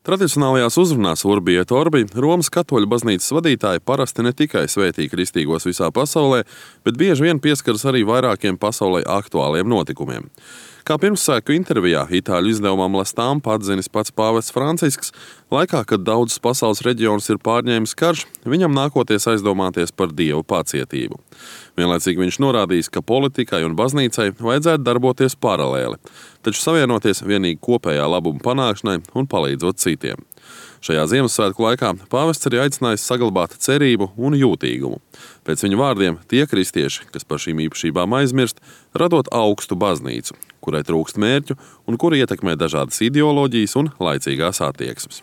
Tradicionālajās uzrunās Urbi et Orbi Romas katoļu baznīcas vadītāji parasti ne tikai svētī kristīgos visā pasaulē, bet bieži vien pieskaras arī vairākiem pasaulē aktuāliem notikumiem. Kā pirmsāku intervijā itāļu izdevumam La Stampa atzinis pats pāvests Francisks, laikā, kad daudzus pasaules reģionus ir pārņēmis karš, viņam nākoties aizdomāties par Dievu pacietību. Vienlaicīgi viņš norādījis, ka politikai un baznīcai vajadzētu darboties paralēli, taču savienoties vienīgi kopējā labuma panākšanai un palīdzot citiem. Šajā Ziemassvētku laikā pāvests arī aicinājis saglabāt cerību un jūtīgumu. Pēc viņa vārdiem tie kristieši, kas par šīm īpašībām aizmirst, radot augstu baznīcu, kurai trūkst mērķu un kura ietekmē dažādas ideoloģijas un laicīgās attieksmes.